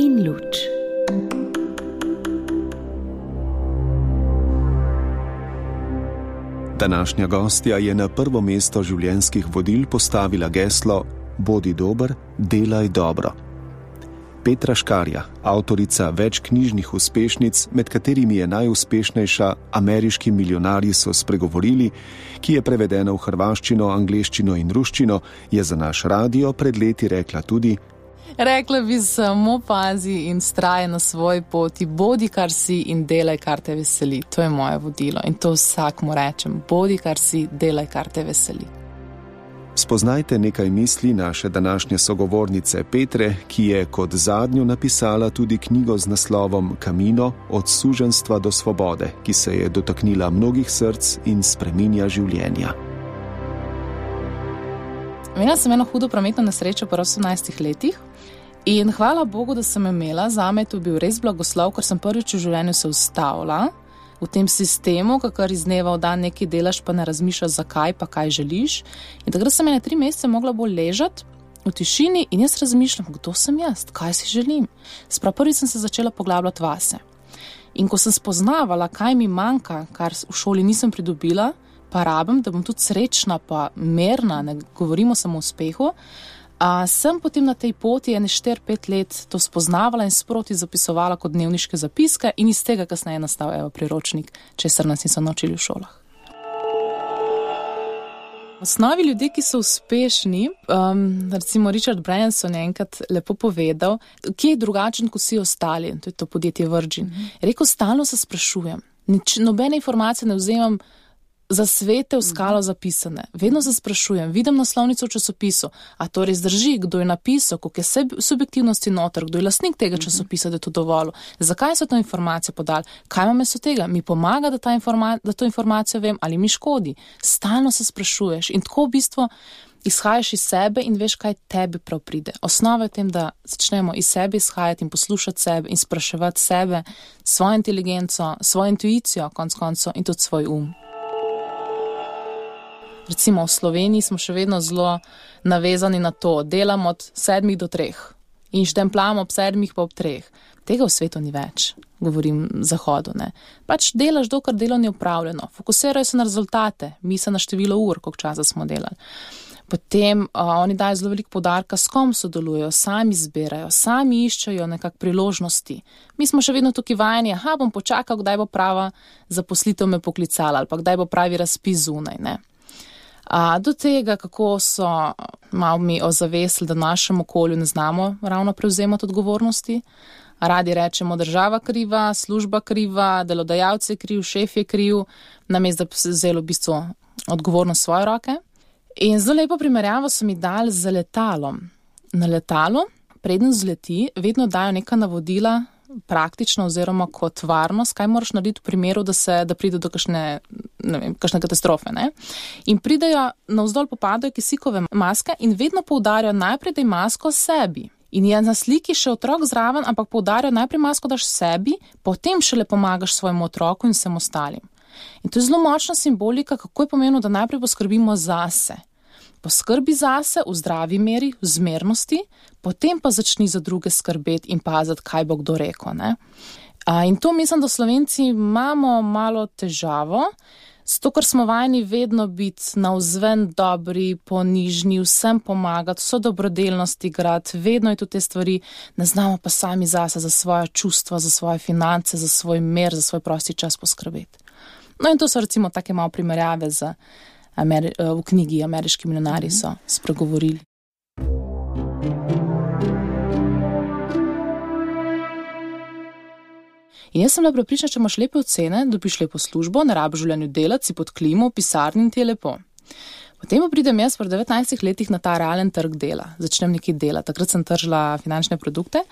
in luč. Današnja gostja je na prvo mesto življenjskih vodil postavila geslo Bodi dober, delaj dobro. Petra Škarja, avtorica več knjižnih uspešnic, med katerimi je najuspešnejša Ameriški milijonarji so spregovorili, ki je prevedena v hrvaščino, angleščino in ruščino, je za naš radio pred leti rekla tudi: Rekla bi samo pazi in vztraj na svoji poti, bodi kar si in delaj kar te veseli. To je moje vodilo in to vsakmu rečem. Bodi kar si, delaj kar te veseli. Spoznajte nekaj misli naše današnje sogovornice Petre, ki je kot zadnjo napisala tudi knjigo z naslovom Camino od suženjstva do svobode, ki se je dotaknila mnogih src in spreminja življenja. Imela sem eno hudo prometno nesrečo po 18 letih in hvala Bogu, da sem imela. Zame je to bil res blagoslov, ker sem prvič v življenju se ustavila v tem sistemu, kakor iz dneva v dan nekaj delaš, pa ne razmišljaš zakaj, pa kaj želiš. In takrat sem 3 mesece mogla bolj ležati v tišini in jaz razmišljam, kdo sem jaz, kaj si želim. Sprav prvič sem se začela poglabljati vase. In ko sem spoznavala, kaj mi manjka, kar v šoli nisem pridobila, pa rabim, da bom tudi srečna, pa merna, ne govorimo samo o uspehu, sem potem na tej poti 4-5 let to spoznavala in sproti zapisovala kot dnevniške zapiske in iz tega kasneje nastal priročnik, česar nas niso naučili v šolah. V osnovi ljudje, ki so uspešni, recimo Richard Branson je enkrat lepo povedal, kje je drugačen kot vsi ostali, to je to podjetje Virgin. Rekel, stalno se sprašujem, nobene informacije ne vzemam za svete v skalo zapisane. Vedno se sprašujem, vidim naslovnico v časopisu, a to res drži, kdo je napisal, koliko je subjektivnosti noter, kdo je lastnik tega časopisa, da je to dovolj. Zakaj so to informacijo podali? Kaj imam jaz od tega? Mi pomaga, da to informacijo vem, ali mi škodi? Stalno se sprašuješ in tako v bistvu izhajaš iz sebe in veš, kaj tebi prav pride. Osnova je v tem, da začnemo iz sebe izhajati in poslušati sebe in spraševati sebe, svojo inteligenco, svojo intuicijo, konec koncev in tudi svoj Recimo v Sloveniji smo še vedno zelo navezani na to, delamo od 7 do 3 in štempljamo ob 7 pa ob 3. Tega v svetu ni več, govorim zahodu, ne. Pač delaš, dokler delo ni opravljeno, fokusirajo se na rezultate, misli na število ur, koliko časa smo delali. Potem oni dajo zelo veliko poudarka, s kom sodelujejo, sami izbirajo, sami iščejo nekak priložnosti. Mi smo še vedno tukaj vajeni, bom počakal, kdaj bo prava zaposlitev me poklicala ali pa kdaj bo pravi razpis zunaj, ne. Do tega, kako so malo mi ozavestili, da v našem okolju ne znamo ravno prevzemati odgovornosti. Radi rečemo, država kriva, služba kriva, delodajalec je kriv, šef je kriv, namesto da bi se vzelo v bistvu odgovornost v svoje roke. In zelo lepo primerjavo so mi dali z letalom. Na letalu, preden vzleti, vedno dajo neka navodila, praktično oziroma kot varnost, kaj moraš narediti v primeru, da pride do kakšne katastrofe, ne? In pridejo, navzdol popadajo kisikove maske in vedno poudarjajo najprej, da je masko sebi. In je na sliki še otrok zraven, ampak poudarjajo najprej masko daš sebi, potem šele pomagaš svojemu otroku in vsem ostalim. In to je zelo močna simbolika, kako je pomembno, da najprej poskrbimo zase. Poskrbi zase v zdravi meri, v zmernosti, potem pa začni za druge skrbeti in paziti, kaj bo kdo rekel, ne. In to mislim, da Slovenci imamo malo težavo, zato ker smo vajeni vedno biti navzven dobri, ponižni, vsem pomagati, vso dobrodelnost igrati, vedno je tudi te stvari, ne znamo pa sami zase, za svoje čustva, za svoje finance, za svoj mir, za svoj prosti čas poskrbeti. No in to so recimo take malo primerjave v knjigi Ameriški milijonarji so spregovorili. In jaz sem bila prepričana, če imaš lepe ocene, dobiš lepo službo, ne rabiš v življenju delati, si pod klimo, v pisarni in ti je lepo. Potem pa pridem jaz pri 19 letih na ta realen trg dela. Začnem nekaj delati. Takrat sem tržila finančne produkte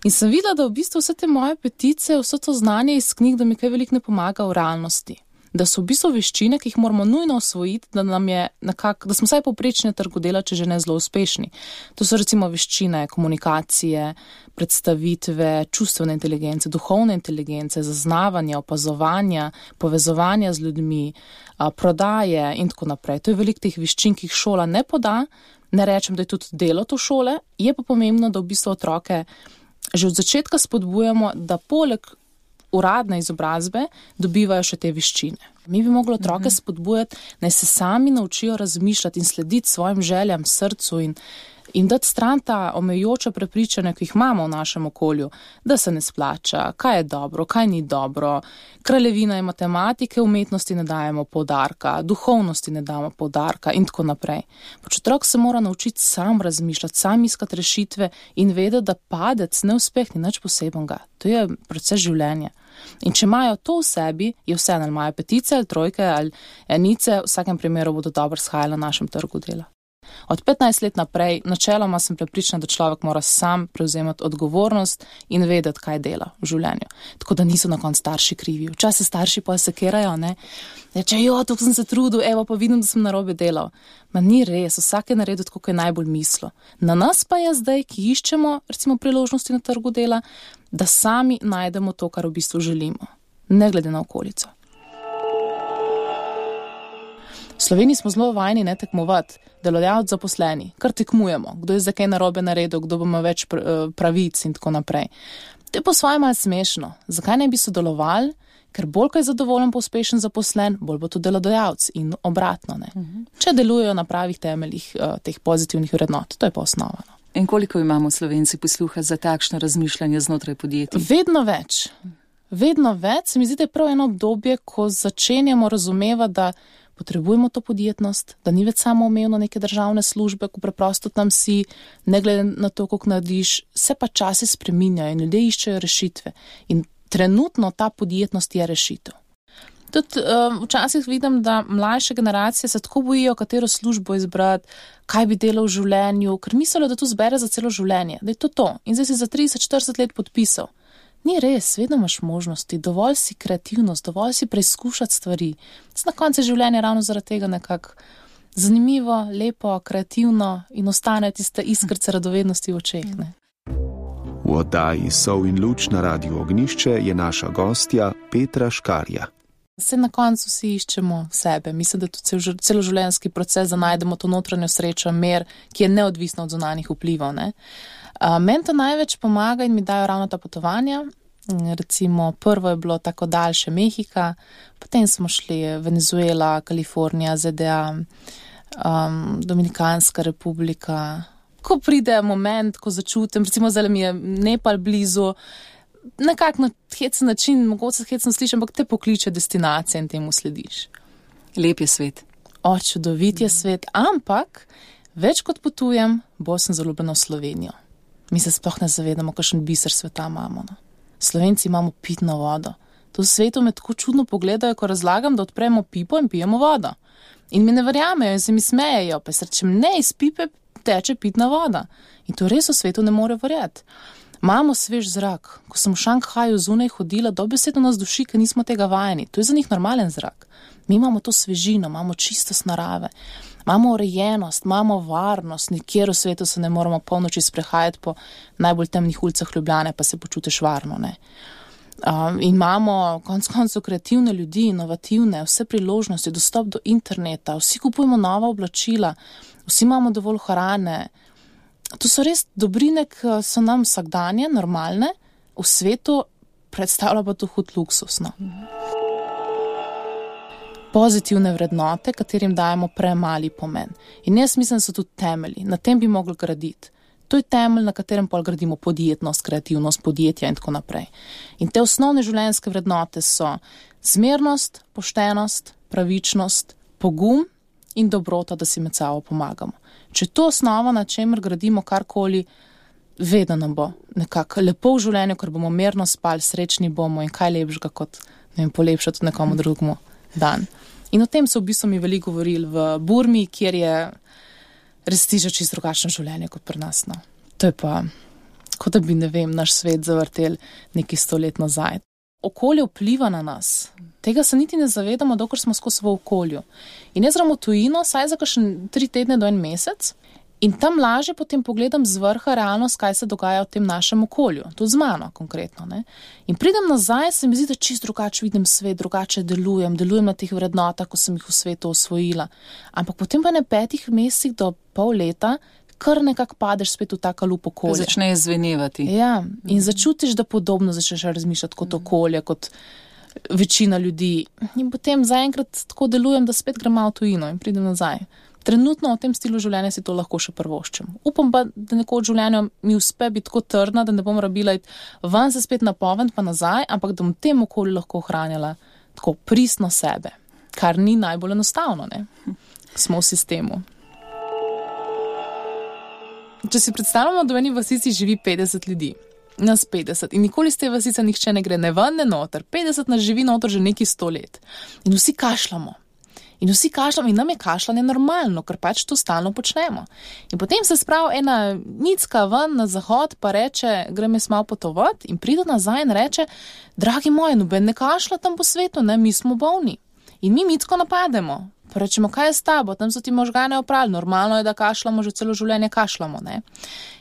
in sem videla, da v bistvu vse te moje petice, vse to znanje iz knjig, da mi kaj veliko ne pomaga v realnosti. Da so v bistvu veščine, ki jih moramo nujno osvojiti, da smo vsaj povprečni na trgu dela, če že ne zelo uspešni. To so recimo veščine komunikacije, predstavitve, čustvene inteligence, duhovne inteligence, zaznavanja, opazovanja, povezovanja z ljudmi, prodaje in tako naprej. To je veliko teh veščin, ki jih šola ne poda. Ne rečem, da je tudi delo to šole, je pa pomembno, da v bistvu otroke že od začetka spodbujamo, da poleg uradne izobrazbe dobivajo še te veščine. Mi bi mogli otroke spodbujati, naj se sami naučijo razmišljati in slediti svojim željam, srcu in dati stran ta omejujoča prepričanja, ki jih imamo v našem okolju, da se ne splača, kaj je dobro, kaj ni dobro, kraljevina je matematike, umetnosti ne dajemo poudarka, duhovnosti ne damo poudarka in tako naprej. Pač otrok se mora naučiti sam razmišljati, sam iskati rešitve in vedeti, da padec, neuspeh ni nič posebenega. To je proces življenja. In če imajo to v sebi, je vse, ali imajo petice ali trojke ali enice, v vsakem primeru bodo dobro shajali na našem trgu dela. Od 15 let naprej, načeloma sem prepričana, da človek mora sam prevzemati odgovornost in vedeti, kaj dela v življenju. Tako da niso na koncu starši krivi. Včasih starši pa sekerajo, ne? Reče, tukaj sem se trudil, evo pa vidim, da sem narobe delal. Ma ni res, vsak je naredil tako, kot je najbolj mislil. Na nas pa je zdaj, ki iščemo, recimo, priložnosti na trgu dela, da sami najdemo to, kar v bistvu želimo, ne glede na okolico. V Sloveniji smo zelo vajeni ne tekmovati, delodajalci zaposleni, kar tekmujemo, kdo je za kaj narobe naredil, kdo bo ima več pravic in tako naprej. To je po svoje malo smešno. Zakaj ne bi sodelovali? Ker bolj, ko je zadovoljen pa uspešen zaposlen, bolj bo to delodajalec in obratno. Ne? Če delujejo na pravih temeljih teh pozitivnih vrednot, to je pa osnova. No. In koliko imamo Slovenci posluha za takšno razmišljanje znotraj podjetij? Vedno več. Vedno več. Se mi zdi, da je prav eno obdobje, ko začenjamo razumevati, da potrebujemo to podjetnost, da ni več samoumevno neke državne službe, ko preprosto tam si, ne glede na to, koliko narediš, se pa časi spreminjajo in ljudje iščejo rešitve. In trenutno ta podjetnost je rešitev. Tudi včasih vidim, da mlajše generacije se tako bojijo, katero službo izbrati, kaj bi delal v življenju, ker mislijo, da to zbere za celo življenje, da je to. In zdaj si za 30-40 let podpisal. Ni res, vedno imaš možnosti, dovolj si kreativnost, dovolj si preizkušati stvari. Na koncu življenja ravno zaradi tega nekako zanimivo, lepo, kreativno in ostane tiste iskrce radovednosti v očeh. Ne? V oddaji Sol in luč na Radiu Ognjišče je naša gostja Petra Škarja. Se na koncu vsi iščemo sebe. Mislim, da je to celoživljenjski proces, da najdemo to notranjo srečo, mir, ki je neodvisna od zunanjih vplivov. Ne? Meni to največ pomaga in mi dajo ravno ta potovanja. Recimo prvo je bilo tako daljše Mehika, potem smo šli Venezuela, Kalifornija, ZDA, Dominikanska republika. Ko pride moment, ko začutim, recimo zdaj mi je Nepal blizu, nekako na hecen način, mogoče hecno slišim, ampak te pokliče destinacije in temu slediš. Lep je svet. Čudovit je svet, ampak več kot potujem, bolj sem zaljubljena v Slovenijo. Mi se sploh ne zavedamo, kakšen biser sveta imamo. No. Slovenci imamo pitno vodo. To v svetu me tako čudno pogledajo, ko razlagam, da odpremo pipo in pijemo vodo. In mi ne verjamejo in se mi smejejo, pa se rečem, ne, iz pipe teče pitna voda. In to res v svetu ne more verjeti. Imamo svež zrak. Ko sem v Šanghaju zunaj hodila, dobesedno nas duši, ker nismo tega vajeni. To je za njih normalen zrak. Mi imamo to svežino, imamo čistost narave, imamo urejenost, imamo varnost, nikjer v svetu se ne moramo polnoči sprehajati po najbolj temnih ulicah Ljubljane, pa se počutiš varno. Ne? In imamo konec koncev kreativne ljudi, inovativne, vse priložnosti, dostop do interneta, vsi kupujemo nova oblačila, vsi imamo dovolj hrane. To so res dobrine, ki so nam vsakdanje, normalne, v svetu predstavlja pa to hud luksus. No? Pozitivne vrednote, katerim dajemo premali pomen. In jaz mislim, da so tudi temelji. Na tem bi mogli graditi. To je temelj, na katerem pol gradimo podjetnost, kreativnost, podjetja in tako naprej. In te osnovne življenjske vrednote so zmernost, poštenost, pravičnost, pogum in dobrota, da si med sabo pomagamo. Če to osnova, na čemer gradimo karkoli, vedno nam bo nekako lepo v življenju, ker bomo mirno spali, srečni bomo in kaj lepšega kot polepšati nekomu drugemu dan. In o tem so v bistvu mi veliko govorili v Burmi, kjer je res tiže čisto drugačno življenje kot pri nas. No. To je pa, kot da bi, ne vem, naš svet zavrtel nekaj 100 let nazaj. Okolje vpliva na nas. Tega se niti ne zavedamo, dokler smo skozi v okolju. In jaz grem v tujino, saj za kakšen 3 tedne do 1 mesec, in tam lažje potem pogledam z vrha realnost, kaj se dogaja v tem našem okolju. Tudi z mano konkretno. Ne? In pridem nazaj, se mi zdi, da čisto drugače vidim svet, drugače delujem na teh vrednotah, ko sem jih v svetu osvojila. Ampak potem pa na 5 mesecih do pol leta kar nekako padeš spet v taka lup okolje. Začne zvenevati. Ja, in začutiš, da podobno začneš razmišljati kot okolje, kot večina ljudi. In potem zaenkrat tako delujem, da spet grem v tujino in pridem nazaj. Trenutno v tem stilu življenja si to lahko še prvoščem. Upam pa, da nekoč v življenju mi uspe biti tako trdna, da ne bom rabila iti ven se spet napoved pa nazaj, ampak da bom v tem okolju lahko ohranjala tako pristno sebe, kar ni najbolj enostavno, ne? Smo v sistemu. Če si predstavljamo, da v eni vasici živi 50 ljudi, nas 50 in nikoli z te vasice nihče ne gre ne ven, ne noter, 50 nas živi noter že nekaj 100 let in vsi kašljamo. In nam je kašljanje normalno, ker pač to stalno počnemo. In potem se spravi ena nicka ven na zahod, pa reče, grem jaz malo potovati in pride nazaj in reče, dragi moji, noben ne kašlja tam po svetu, ne, mi smo bolni. In mi micko napademo. Pa rečemo, kaj je s tabo, tam so ti možgane oprali, normalno je, da kašljamo, že celo življenje kašljamo, ne.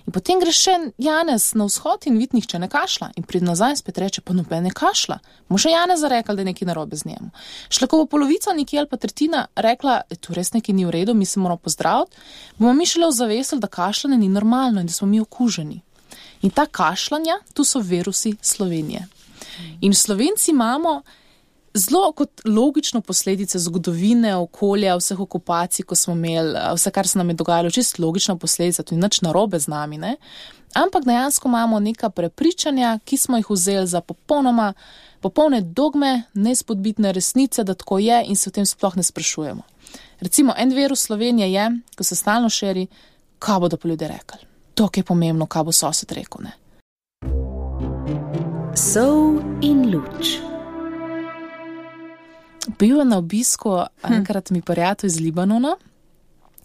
In potem gre še Janez na vzhod in vidi, nihče ne kašlja. In pride nazaj in spet reče, pa noben ne kašlja. Mu še Janeza rekla, da je nekaj narobe z njemu. Šla ko bo polovica nekje ali pa tretjina rekla, tu res nekaj ni v redu, mi se moramo pozdraviti, bomo mi šele ozavestili, da kašljanje ni normalno in da smo mi okuženi. In ta kašljanja, tu so virusi Slovenije. In Slovenci imamo zelo kot logično posledice zgodovine, okolja, vseh okupacij, ko smo imeli, vse, kar se nam je dogajalo, čisto logična posledica, to je nič narobe z nami, ne? Ampak dejansko imamo neka prepričanja, ki smo jih vzeli za popolne dogme, neizpodbitne resnice, da tako je in se o tem sploh ne sprašujemo. Recimo, en virus Slovenije je, ko se stalno širi, kaj bodo pa ljudje rekli. To je pomembno, kaj bo sosed rekel, ne? Sol in luč. Bil je na obisku enkrat mi prijatelj iz Libanona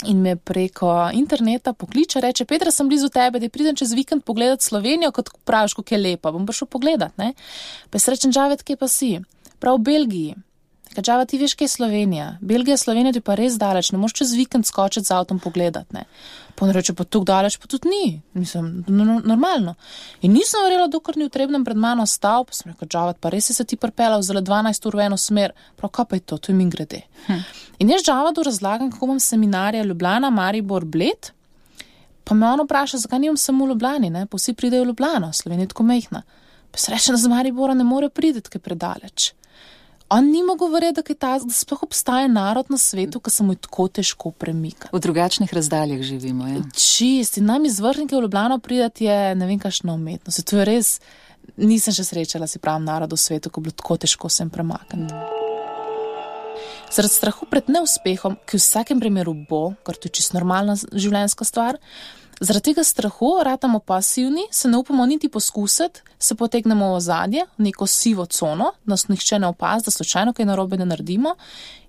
in me preko interneta pokliče, reče, Petra, sem blizu tebe, da pridem čez vikend pogledati Slovenijo, kot praviš, kako je lepa, bom pa šel pogledat, ne? Pa je rečem, Džavet, kje pa si? Prav v Belgiji. Džavet, ti veš, kje je Slovenija? Belgija, Slovenija ti pa res daleč, ne moš čez vikend skočiti z avtom pogledat, ne? Pa on reče, pa tuk daleč, pa tudi ni. Mislim, normalno. In nisem verjela, dokler ni v Trebnjem pred mano stal, pa sem rekel, Džavet, pa res si se ti pripelal zelo 12 ur v eno smer. Prav, kaj pa je to je mimogrede. In jaz Džavetu razlagam, kako imam seminarja Ljubljana, Maribor, Bled, pa me on vpraša, zakaj nimam samo v Ljubljani, ne? Pa vsi pridejo v Ljubljano, Slovenija je tako majhna. Pa se reče, da z Maribora ne more priti, kaj predaleč. On ni mogel verjeti, da sploh obstaja narod na svetu, ki se mu je tako težko premikati. V drugačnih razdaljah živimo, ja. Čist, in nam iz Vrhnike v Ljubljano pridati je ne vem kakšna umetnost. To je res, nisem še srečala, si pravim, narod v svetu, ko je bilo tako težko sem premakniti. Zaradi strahu pred neuspehom, ki v vsakem primeru bo, ker to je čisto normalna življenjska stvar, zaradi tega strahu ratamo pasivni, se ne upamo niti poskusiti, se potegnemo v ozadje, v neko sivo cono, nas nihče ne opazi, da slučajno kaj narobe ne naredimo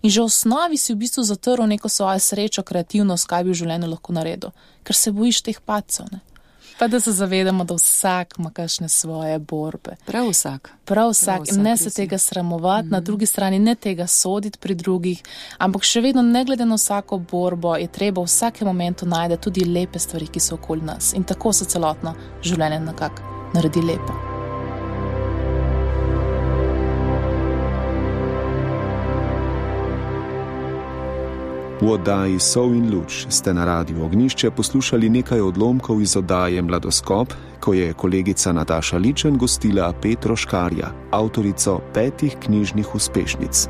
in že v osnovi si v bistvu zatrl neko svojo srečo, kreativnost, kaj bi v življenju lahko naredil, ker se bojiš teh padcev, ne. Pa da se zavedamo, da vsak ima kakšne svoje borbe. Prav vsak. In ne se tega sramovati, na drugi strani ne tega soditi pri drugih, ampak še vedno ne glede na vsako borbo je treba v vsakem momentu najti tudi lepe stvari, ki so okoli nas. In tako se celotno življenje nekako naredi lepo. V oddaji Sol in luč ste na Radiu Ognjišče poslušali nekaj odlomkov iz oddaje Mladoskop, ko je kolegica Nataša Ličen gostila Petro Škarja, avtorico 5 knjižnih uspešnic.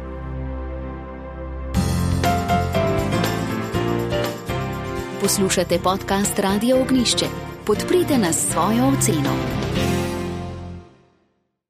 Poslušate podcast Radio Ognjišče. Podprite nas s svojo oceno.